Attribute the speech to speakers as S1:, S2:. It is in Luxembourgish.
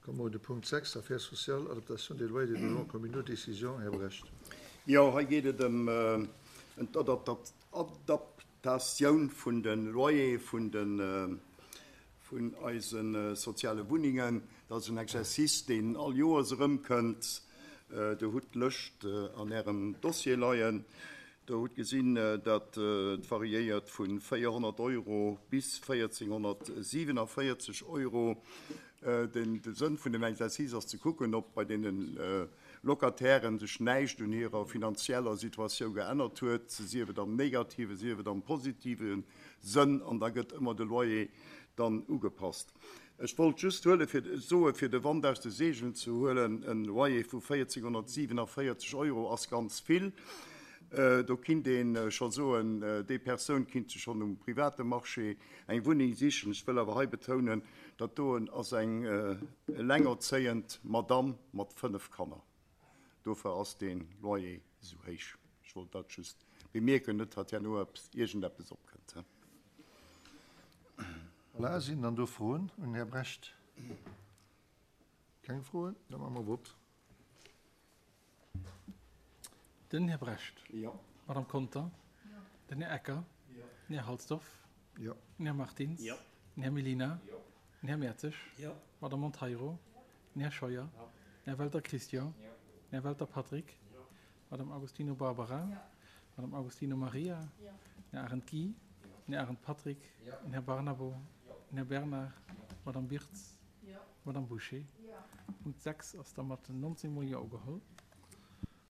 S1: Komme mer un de Punkt 6, Affaires sociales, adaptation des loyers des logements communaux, décision, Här Brecht.
S2: Jo, hei geet et ëm d'Adaptatioun vun de Loyere vun de vun eise soziale Wunnengen. Dat ass en Exercice, deen all Joers erëmkënnt. Der hutt d'Lëscht an Ärem Dossier leien. Der hutt gesinn, dat et variéiert vu 400 Euro bis 1.447 Euro. De Sënn vun dem Exercice ass ze kucken, ob bei deene Locatairen sech näischt un hirer finanzieller Situatioun geännert huet, sief et am negativen, sief et am positive Sënn, an da gëtt ëmmer de Loyer dann ugepasst. Ech wollt just huele fir soe fir de Wand aus de Seegelen ze huelen, e Loyer vu 1.447 Euro ass ganz vill. Do kinnt ee scho soen, déi Persoun kinnt sech schonn um private Marché eng Wunneng sichen. Ech wëll awer hei betounen, dat doen ass eng elengerzéiend Madamm mat 5 Kanner. Dofir ass dee Loyer esou héich. Ech wollt dat just bemierken, net datt herno iergendeppes opkënnt.
S1: Voilà, sinn dann do Froen un den Här Brecht? Keng Froen? Da maache mer Vott.
S3: Den Här Brecht.
S2: Jo.
S3: D'Madame Conter. Jo. Den Här Ecker.
S2: Jo.
S3: Den Här Halsdorf.
S1: Jo.
S3: Den Här Martins.
S2: Jo.
S3: Den Här Mellina.
S2: Jo.
S3: Den Här Mertzig.
S2: Jo.
S3: D'Madame Monteiro. Den Här Scheuer.
S2: Jo.
S3: Den Här Welter Christian.
S2: Jo.
S3: Den Här Welter Patrick.
S2: Jo.
S3: D'Madame Agostino Barbara.
S4: Jo.
S3: D'Madame Agostino Maria.
S4: Jo.
S3: Den Här Arendt Guy.
S2: Jo.
S3: Den Här Arendt Patrick.
S2: Jo.
S3: Den Här Barnabo.
S2: Jo.
S3: Den Här Bernard.
S2: Jo.
S3: D'Madame Birtz.
S4: Jo.
S3: D'Madame Bouché.
S4: Jo.
S3: Punkt 6 ass da mat 19 mol Jo ugeholl.